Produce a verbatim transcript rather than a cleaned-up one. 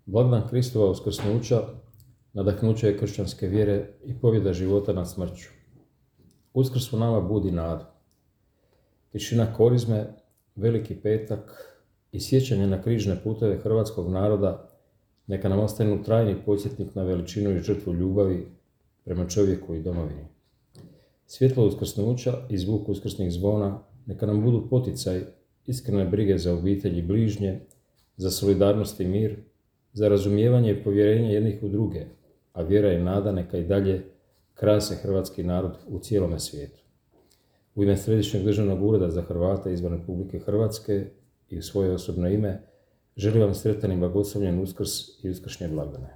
Blagdan Kristova uskrsnuća nadahnuće je kršćanske vjere i pobjeda života nad smrću. Uskrs u nama budi nadu. Tišina korizme, Veliki petak i sjećanje na križne puteve hrvatskog naroda neka nam ostanu trajni podsjetnik na veličinu i žrtvu ljubavi prema čovjeku i domovini. Svjetlo uskrsnuća i zvuk uskrsnih zvona neka nam budu poticaj iskrene brige za obitelj i bližnje, za solidarnost i mir, za razumijevanje i povjerenje jednih u druge, a vjera i nada neka i dalje krase hrvatski narod u cijelome svijetu. U ime Središnjeg državnog ureda za Hrvate izvan Republike Hrvatske i u svoje osobno ime želim vam sretan i blagoslovljen Uskrs i uskršnje blagdane.